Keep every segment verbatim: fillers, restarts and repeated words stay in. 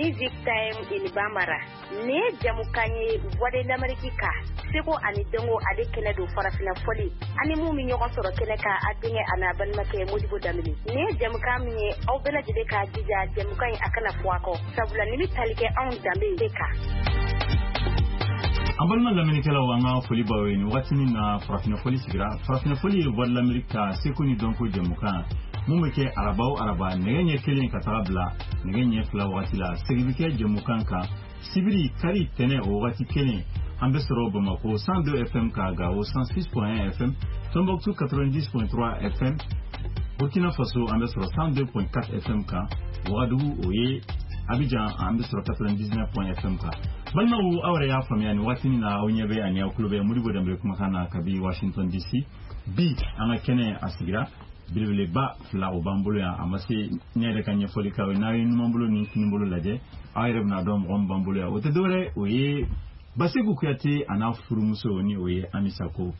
Music Time in Bambara. Nin ye jamukan ye Voix de l'Amérique ka seko ani dɔnko ale kɛnɛ don farafinna fɔli ani mun bɛ ɲɔgɔn sɔrɔ kɛnɛ kan a denkɛ a n'a balimakɛ Modibo Danbele. Nin ye jamukan min ye aw bɛɛ lajɛlen k'a jija jamukan in a kana fɔ a kɔ sabula nin bɛ tali kɛ anw danbe de kan. An balima lamɛnnikɛlaw, an ka foli b'aw ye nin waati min na farafinna fɔli sigira. Farafinna fɔli ye Voix de l'Amérique ka seko ni dɔnko jɛmukan mun bɛ kɛ araba o araba nɛgɛ ɲɛ kelen ka taga bila nɛgɛ ɲɛ fila wagati la. Segin bɛ kɛ jɛmukan kan sibiri, kari, tɛnɛ o wagati kelen. An bɛ sɔrɔ Bamako cent deux F M ka Gawo cent six point un F M, Tombouctou quatre-vingt-dix point trois F M, Burkina Faso an bɛ sɔrɔ cent deux point quatre F M kan, Ouagadougou o ye Abidjan an bɛ sɔrɔ quatre-vingt-dix-neuf F M kan. Balimaw, aw yɛrɛ y'a faamuya nin waati na aw ɲɛ bɛ ani aw tulo bɛ Modibo Danbele kumakan na kabi Washington D C. Bi an ka kɛnɛ a sigira, belebeleba fila o b'an bolo yan. A ma se ne yɛrɛ ka ɲɛfɔli k'aw ye. N'aw ye numan bolo ni kini bolo lajɛ, aw yɛrɛ bɛna dɔn mɔgɔ min b'an bolo yan. O tɛ dɔwɛrɛ, o ye Baseku Kuyate a n'a furumuso ni o ye Ami Sako.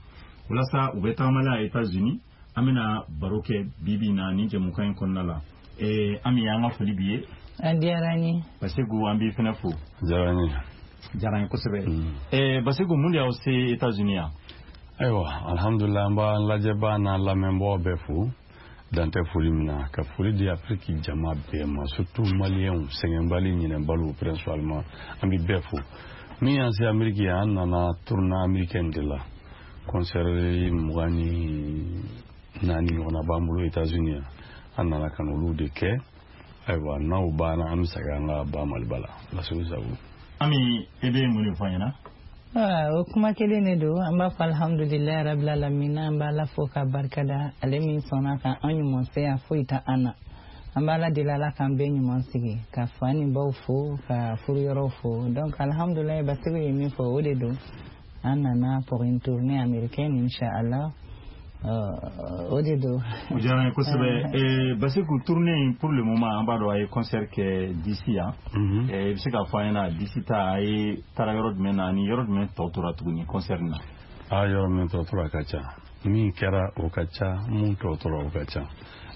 Walasa u bɛ tagama la États-Unis, an bɛna baro kɛ bi bi in na nin jɛmukan in kɔnɔna la. Ee Ami, an ka foli b'i ye. A diyara n ye. Baseku, an b'i fɛnɛ fo. Diyara n ye. Diyara n ye kosɛbɛ. Ee Baseku, mun de y'aw se États-Unis yan? Ayiwa, alhamdulilah, an b'an lajɛbaa n'an lamɛnbagaw bɛɛ fo dan tɛ foli min na, ka foli di Afiriki jama bɛɛ ma, surtout Maliyɛnw, sɛgɛnbali ɲinɛbaliw principalement, an bɛ bɛɛ fo. Min y'an se Ameriki yan, an nana tournée américaine de la, concert mugan ni naani ɲɔgɔnna b'an bolo États-Unis yan. An nana ka n'olu de kɛ. Ayiwa, n'aw banna, an bɛ segin an ka ba Maliba la. Laseli sago. Ami, e bɛ mun de fɔ an ɲɛna? O kuma kelen de don. An b'a fɔ alhamdulilayi rabil alamina. An b'Ala fo ka barikada, ale min sɔnna ka an ɲuman se yan, foyi tɛ an na. An b'Ala deli, Ala k'an bɛɛ ɲuman sigi, ka fa ni baw fo, ka furuyɔrɔw fo. Donc alhamdulilayi, Basiru ye min fɔ, o de don. An nana pour une tournée américaine, inchallah, o de don. O diyara n ye kosɛbɛ. Basiku, tournée in, pour le moment an b'a dɔn a ye concert kɛ D C yan. I bɛ se k'a fɔ an ɲɛna D C ta a ye taara yɔrɔ jumɛn na ani yɔrɔ jumɛn tɔ tora tuguni concert in na? A yɔrɔ min tɔ tora ka ca, min kɛra o ka ca, mun tɔ tora o ka ca.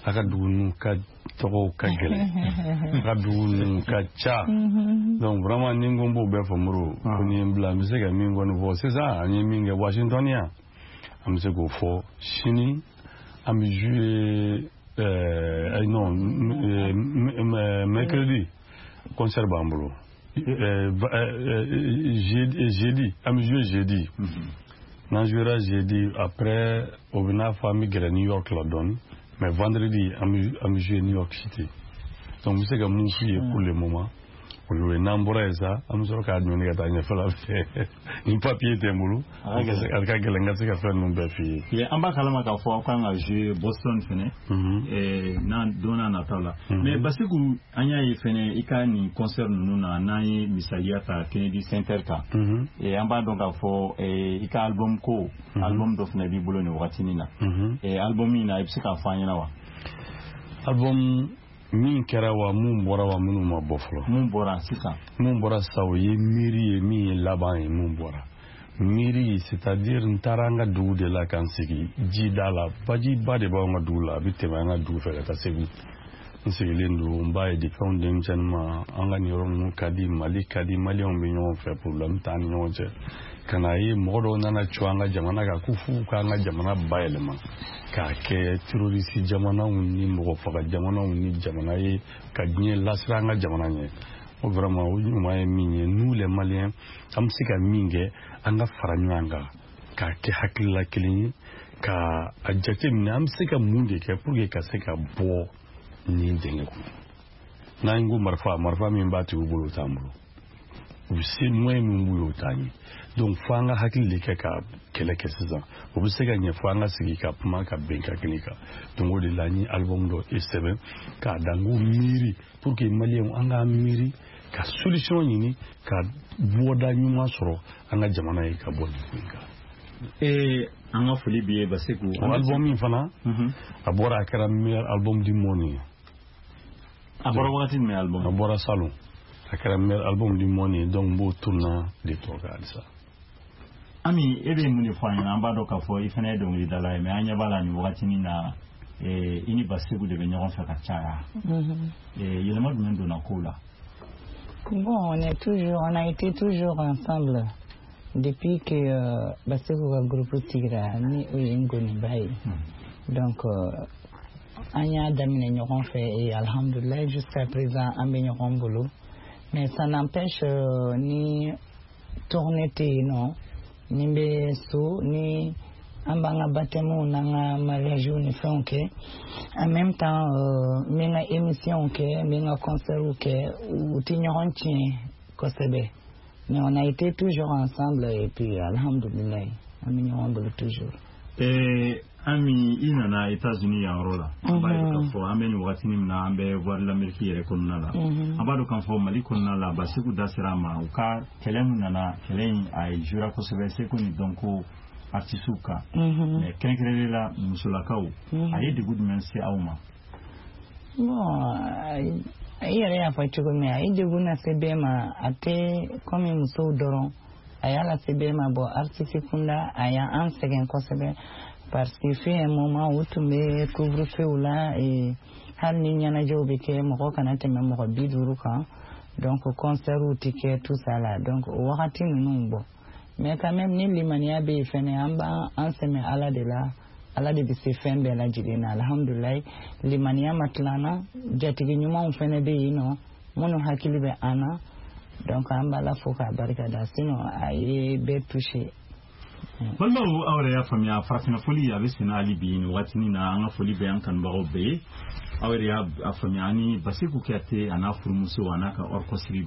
A ka dugu ninnu ka tɔgɔw ka gɛlɛn, a ka dugu ninnu ka ca. Donc vraiment, ni n ko n b'o bɛɛ fɔ, Moro, ko ni ye n bila, n bɛ se ka min kɔni fɔ sisan, an ye min kɛ Washington yan, an bɛ se k'o fɔ. Sini an bɛ jouer, euh, non, euh, mercredi concert b'an bolo, euh, jeudi, jeudi an bɛ jouer jeudi. N'an jouera jeudi, après o bɛ n'a fɔ an bɛ gɛrɛ New York la dɔɔni, mais vendredi an bɛ an bɛ jouer New York City. Donc n bɛ se ka mun f'u ye pour le moment, o y'o ye. N'an bɔra yen sa, an bɛ sɔrɔ k'a ɲɔni ka taa ɲɛfɛla fɛ. Ni papier tɛ n bolo, a ka gɛlɛn n ka se ka fɛn ninnu bɛɛ f'i ye. An b'a kalama k'a fɔ aw kan ka jouer Boston fɛnɛ n'an don n'a nataw la. Mais Basiku, an y'a ye fɛnɛ i ka nin concert ninnu na, n'an ye misaliya ta Kennedy Center kan, an b'a dɔn k'a fɔ i ka album ko album dɔ fɛnɛ b'i bolo nin wagatinin na. Album in na, i bɛ se k'a fɔ an ɲɛna wa? Album min kɛra wa, mun bɔra wa, minnu ma bɔ fɔlɔ? Mun bɔra sisan? Mun bɔra sisan, o ye miiri ye. Min ye laban ye, mun bɔra, miiri, c'est-à-dire n taara an ka dugu de la ka n sigi jida la. Bajiba de b'anw ka dugu la, a bɛ tɛmɛ an ka dugu fɛ ka taa Segu. N sigilen don, n b'a ye depuis anw denmisɛnnin ma, an ka nin yɔrɔ ninnu ka di, Mali ka di, Maliyɛnw bɛ ɲɔgɔn fɛ, problème t'an ni ɲɔgɔn cɛ. Ka na ye mɔgɔ dɔw nana cun an ka jamana kan ko f'u k'an ka jamana bayɛlɛma k'a kɛ terroriste jamanaw ni mɔgɔ faga jamanaw ni jamana ye ka diɲɛ lasiran an ka jamana ɲɛ. O vraiment, o ɲuman ye min ye, nous les Maliens, an bɛ se ka min kɛ, an ka fara ɲɔgɔn kan k'a kɛ hakilila kelen ye, ka a jateminɛ an bɛ se ka mun de kɛ pour que ka se ka bɔ nin dingɛ kɔnɔ. N'an ko marifa, marifa min b'a tigiw bolo, o t'an bolo, u bɛ se moyen min b'u ye, o t'an ye. Donc fo an ka hakili de kɛ ka kɛlɛ kɛ sisan. O bɛ se ka ɲɛ fo an ka sigi ka kuma ka bɛn ka kelen kan. Donc o de la n ye album dɔ sɛbɛn k'a da n ko miiri, pour que Maliyɛnw an k'an miiri ka solution ɲini ka bɔda ɲuman sɔrɔ an ka jamana ye ka bɔ nin ko in kan. Ee, an ka foli b'i ye, Basiku. O album min fana, a bɔra, a kɛra meilleur album du monde ye. A bɔra wagati jumɛn, album? A bɔra salon, a kɛra meilleur album du monde ye. Donc n b'o tourna de tɔ kan halisa. Ami, e bɛ mun de fɔ an ɲɛna? An b'a dɔn k'a fɔ i fana ye dɔnkilidala ye, mais an ɲɛ b'a la nin wagatinin na, i ni Basiku de bɛ ɲɔgɔn fɛ ka caya. Yɛlɛma jumɛn donna kow la? Bon, on est toujours, on a été toujours ensemble depuis que euh, Bassekou ka groupe sigira ni o ye Ngoniba ye. Donc euh, an y'a daminɛ ɲɔgɔn fɛ et alhamdoulilah, jusqu'à présent an bɛ ɲɔgɔn bolo. Mais ça n'empêche euh, ni tournée tɛ yen nɔ, ni n bɛ so, ni an b'an ka baptême n'an ka mariage ni fɛnw kɛ, en même temps euh, n bɛ n ka émission kɛ, n bɛ n ka concert kɛ, u tɛ ɲɔgɔn tiɲɛ kosɛbɛ. Mais on a été toujours ensemble et puis alhamdoulilah, an bɛ ɲɔgɔn bolo toujours. Eh, Ami, i nana États-Unis yan yɔrɔ la, an b'a ye k'a fɔ an bɛ nin wagatinin min na, an bɛ Voix de l'Amérique yɛrɛ kɔnɔna la. An b'a dɔn k'a fɔ Mali kɔnɔna la, Bassekou da sera a ma, u ka kɛlɛ min nana, kɛlɛ in a ye jouera kosɛbɛ seko ni dɔnko artisiw kan, mais kɛrɛnkɛrɛnnen la musolakaw, a ye degun jumɛn se aw ma? Bon, i yɛrɛ y'a fɔ cogo min, a ye degun lase bɛɛ ma, a tɛ komi musow dɔrɔn, a y'a lase bɛɛ ma. Bon, artiste kunda a y'an sɛgɛn kosɛbɛ parce que fut un moment u tun bɛ couvre-feu la et hali ni ɲɛnajɛw bɛ kɛ, mɔgɔ kana tɛmɛ mɔgɔ bi duuru kan, donc concert tɛ kɛ, tout ça là. Donc o wagati ninnu, bɔ, mais quand même ni limaniya bɛ yen fɛnɛ, an b'an sɛmɛ Ala de la, Ala de bɛ se fɛn bɛɛ lajɛlen na. Alhamdulilayi, limaniya ma tila an na, jatigi ɲumanw fɛnɛ bɛ yen nɔ minnu hakili bɛ an na, donc an b'Ala fo k'a barika da, sinon a ye bɛɛ touché. Balimaw, aw yɛrɛ y'a faamuya, farafinna foli a bɛ senna hali bi nin wagatinin na. An ka foli bɛ an kanubagaw bɛɛ ye. Aw yɛrɛ y'a faamuya, ani Bassekou Kuyate a n'a furumuso a n'a ka orchestre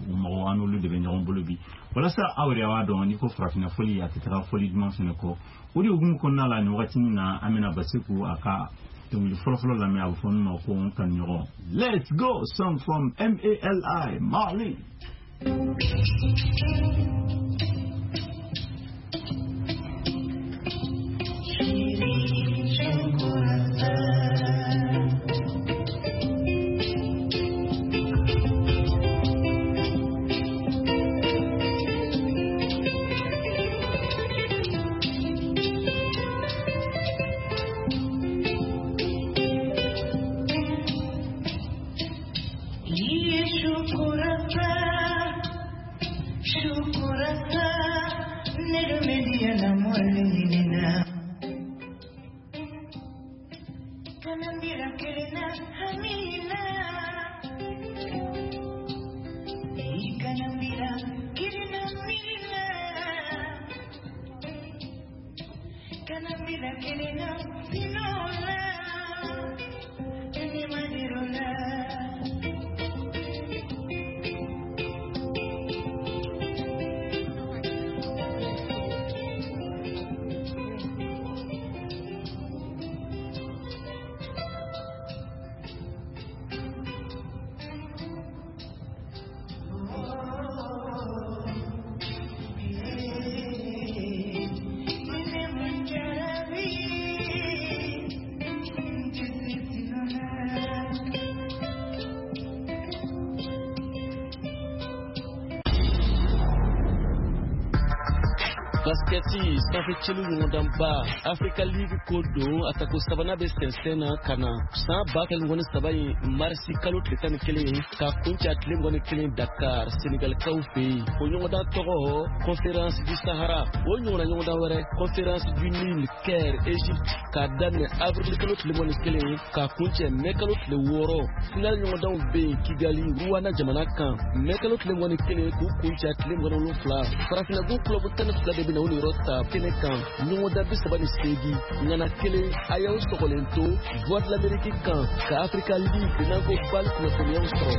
mɔgɔw, an n'olu de bɛ ɲɔgɔn bolo bi, walasa aw yɛrɛ b'a dɔn n'i ko farafinna foli, a tɛ taga foli duman fɛnɛ kɔ. O de hukumu kɔnɔna la, nin wagatinin na, an bɛna Bassekou a ka dɔnkili fɔlɔfɔlɔ lamɛn, a bɛ fɔ min ma ko n kanuɲɔgɔn. Let's go, song from M A L I, Mali. Basketi sanfɛ celu ɲɔgɔndanba Africa League ko don, a tako sabanan bɛ sɛnsɛn na ka na san ba kelen mugan ni saba in marisi kalo tile tan ni kelen ka kuncɛ a tile mugan ni kelen Dakar, Senegalikaw fɛ yen. O ɲɔgɔndan tɔgɔ Conférence du Sahara. O ɲɔgɔnna ɲɔgɔndan wɛrɛ, Conférence du Nil, Caire, Égypte, k'a daminɛ avril kalo tile mugan ni kelen k'a kuncɛ mɛ kalo tile wɔɔrɔ. Final ɲɔgɔndanw bɛ yen Kigali, Rwanda jamana kan, mɛ kalo tile mugan ni kelen k'u kuncɛ a tile mugan ni wolonfila. Farafinna club tan ni fila de bɛ na o niyɔrɔ ta kɛnɛ kan, ɲɔgɔndan bi saba ni seegin ŋana kelen. A y'aw sɔgɔlen to Voix de l'Amérique kan ka Africa League n'an ko BAL kunnafoniyaw sɔrɔ.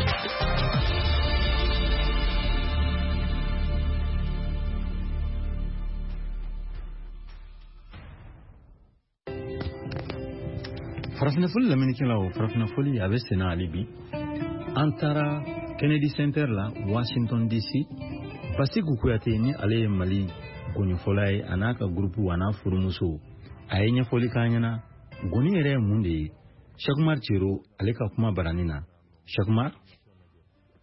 Farafinna foli lamɛnnikɛlaw, farafinna foli a bɛ senna hali bi. An taara Kennedy Center la, Washington D C. Bassekou Kuyate, ni ale ye Mali gɔnifɔla ye, a n'a ka groupe a n'a furumuso, a ye ɲɛfɔli k'an ɲɛna gɔni yɛrɛ ye mun de ye. Cheikh Cero, ale ka kuma barani na. Cheikh.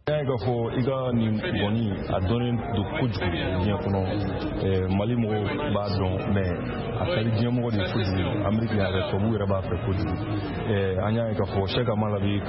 Y'a ye k'a fɔ i ka nin gɔni a dɔnnen don kojugu diɲɛ kɔnɔ. Mali mɔgɔw b'a dɔn, mais a ka di diɲɛ mɔgɔ de ye kojugu. Ameriki yɛrɛ, tubabuw yɛrɛ b'a fɛ kojugu. An y'a ye k'a fɔ Cheikh Amala bi